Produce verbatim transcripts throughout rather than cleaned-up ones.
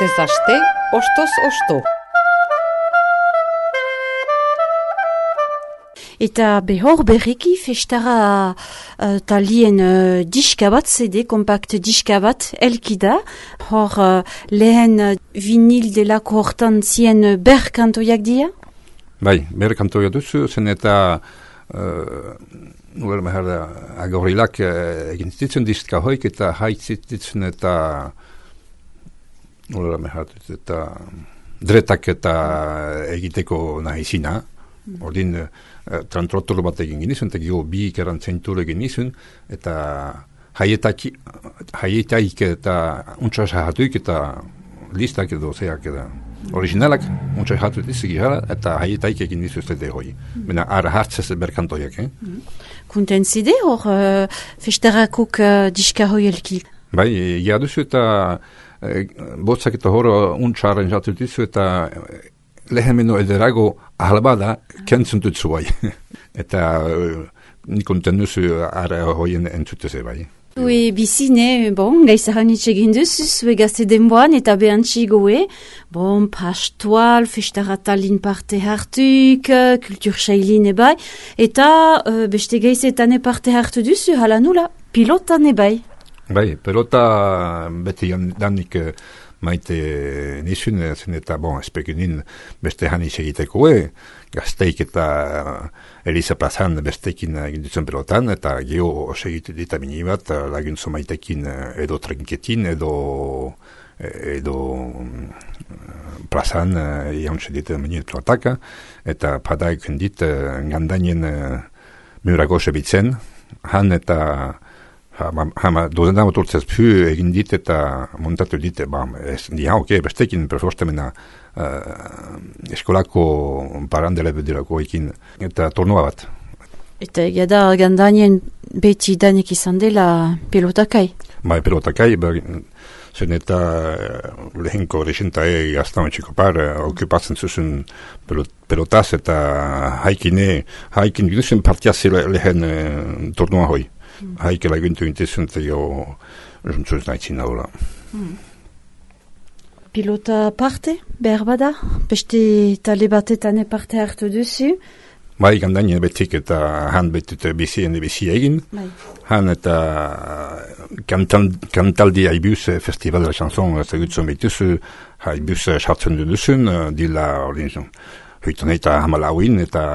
Astez aste, ostoz osto. Eta behor berriki festara uh, talien uh, diska bat, C D, kompakt diska bat, elkida. Hor uh, lehen uh, vinil delako hortan zien uh, ber kantoiak dia? Bai, ber kantoia duzu, zen eta uh, nuela mehar da agorilak uh, egin zitzen diska hoik eta haitzitzen eta nuela mehar eta dretak eta egiteko nahi zina. Ordin uh, trantrotor bat egin genizun, eta gio bi ikeran zentur egin nizun, eta haietaik eta untsa sahatuik eta listak edo zeak eta originalak untsa sahatuik izik gara, eta haietaik egin nizu zede hoi. Bena ara hartzez berkantoiak, eh? Kunten zide hor uh, festarakuk uh, diska hoi elki? Bai, ja duzu eta uh, botzak eta hor untsa arranjatu dizu eta uh, lehemeno ederago ahalbada kentzen dut zuai. Eta uh, nikonten nuzu ara hoien entzuteze bai. Ue bizine, bon, gaizahan itxegin duzu, zue gazte denboan eta behantzi goe, bon, pastual, festaratalin parte hartuik, kultur sailin ebai, eta uh, beste gaizetan parte hartu duzu, hala nula, pilotan ebai. Bai, pilota beti danik uh, maite nizun, zen eta, bon, espegunin beste hanis egiteko e, gazteik eta Elisa Plazan bestekin egin duzen pelotan, eta geho segitu dita mini bat, laguntzo maitekin edo trinketin, edo edo Plazan jauntze dit mini pelotaka, eta padaik dit gandanien murago sebitzen, han eta Hama dozendan motortzez pu egin dit eta montatu dit, ba, ez, ja, ok, bestekin, perforstemena uh, eskolako parandele bedirako ekin, eta tornua bat. Eta egia da, gandanien beti danik izan dela pelotakai? Ba, pelotakai, zen eta lehenko resentae gaztan txiko par, okupatzen zuzun pelotaz eta haikine, haikin ginuzen partiaz lehen uh, tornua hoi. Haike laguntu intezun eta jo juntzuz nahitzin daula. Hmm. Pilota parte, behar bada? Beste tale batetan parte hartu duzu? Bai, gandainen betik eta han betut bizien bizi egin. Bai. Han eta kantaldi haibuz festival de la chanson zegutzen behituzu, haibuz sartzen duzun, dila ordin hoitan eta hamalauin eta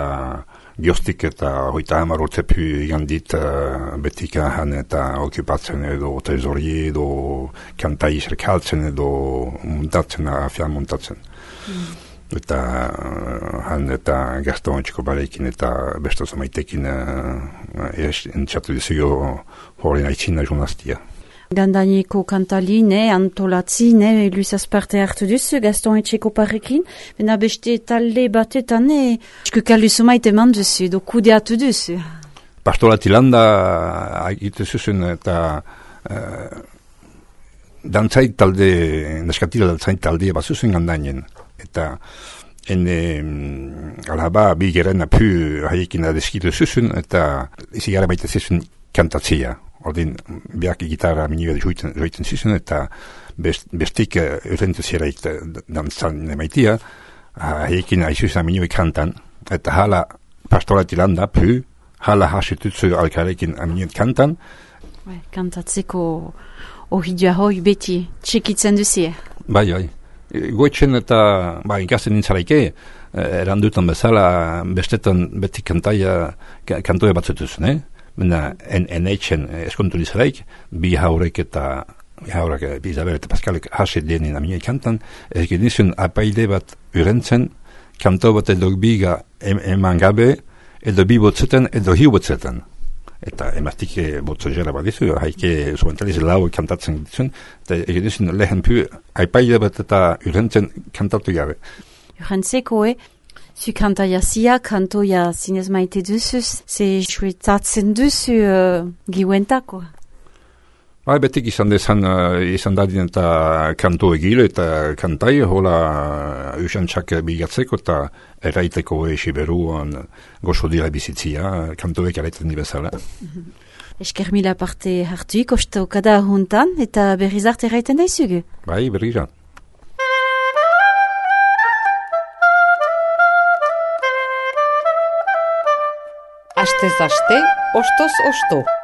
Giostik eta hoita hamar urtepu igandit uh, betika han eta okupatzen edo trezori edo kantai serkaltzen edo muntatzen, afian muntatzen. Mm. Eta uh, han eta Gaston Txikobarekin eta besto zamaitekin uh, entxatu dizio hori nahitzina journastia. Gandaniko kantaline, antolatzine, luizaz parte hartu duzu, Gaston Etxekoparekin, bena beste talde batetan, eskukaluzu maite man duzu, edo kudeatu duzu. Pastorati landa agitu zuzun eta uh, dantzait talde, neskatila dantzait talde bat zuzun gandanien. Eta ene um, alaba bi geren apu haiekin adeskitu zuzun, eta izi gara baita zuzun kantatzia. Ordin, biak gitarra minibet joiten zizun, eta best, bestik eurentu zeraik dantzan nemaitia, haiekin aizuzan minibet kantan, eta hala pastorati landa, pu, hala hasitutzu alkarekin minibet kantan. Bai, kantatzeko ohidua hoi beti txekitzen duzie. Bai, bai. Goitzen eta, ba, ikasten nintzaraike, erandutan bezala, bestetan beti kantaia, kantoia batzutuzun, eh? Mena, en, en eitzen eskontu nizaraik, bi haurek eta, bi haurek, bi Isabel eta Pascalek haset denin aminei kantan, egin nizun apaide bat urentzen, kanto bat edo biga em, eman gabe, edo bi botzetan, edo hiu botzetan. Eta emaztike botzo jera bat dizu, haike zuentaliz lau kantatzen dituzun, eta egin nizun lehen pu apaide bat eta urentzen kantatu gabe. Urentzeko, eh? Zu kantaia zia, kantoia zinez maite duzuz, ze suetatzen duzu uh, giuentako? Bai, betik izan dezan, uh, izan dadin eta kanto egile eta kantai, hola usantxak bigatzeko eta eraiteko esi beruan gozo dira bizitzia, kantoek eraiten nibezala. Mm-hmm. Esker mila parte hartuik, ostokada juntan, eta berriz arte eraiten daizugu? Bai, berrizan. Astez aste, ostoz osto.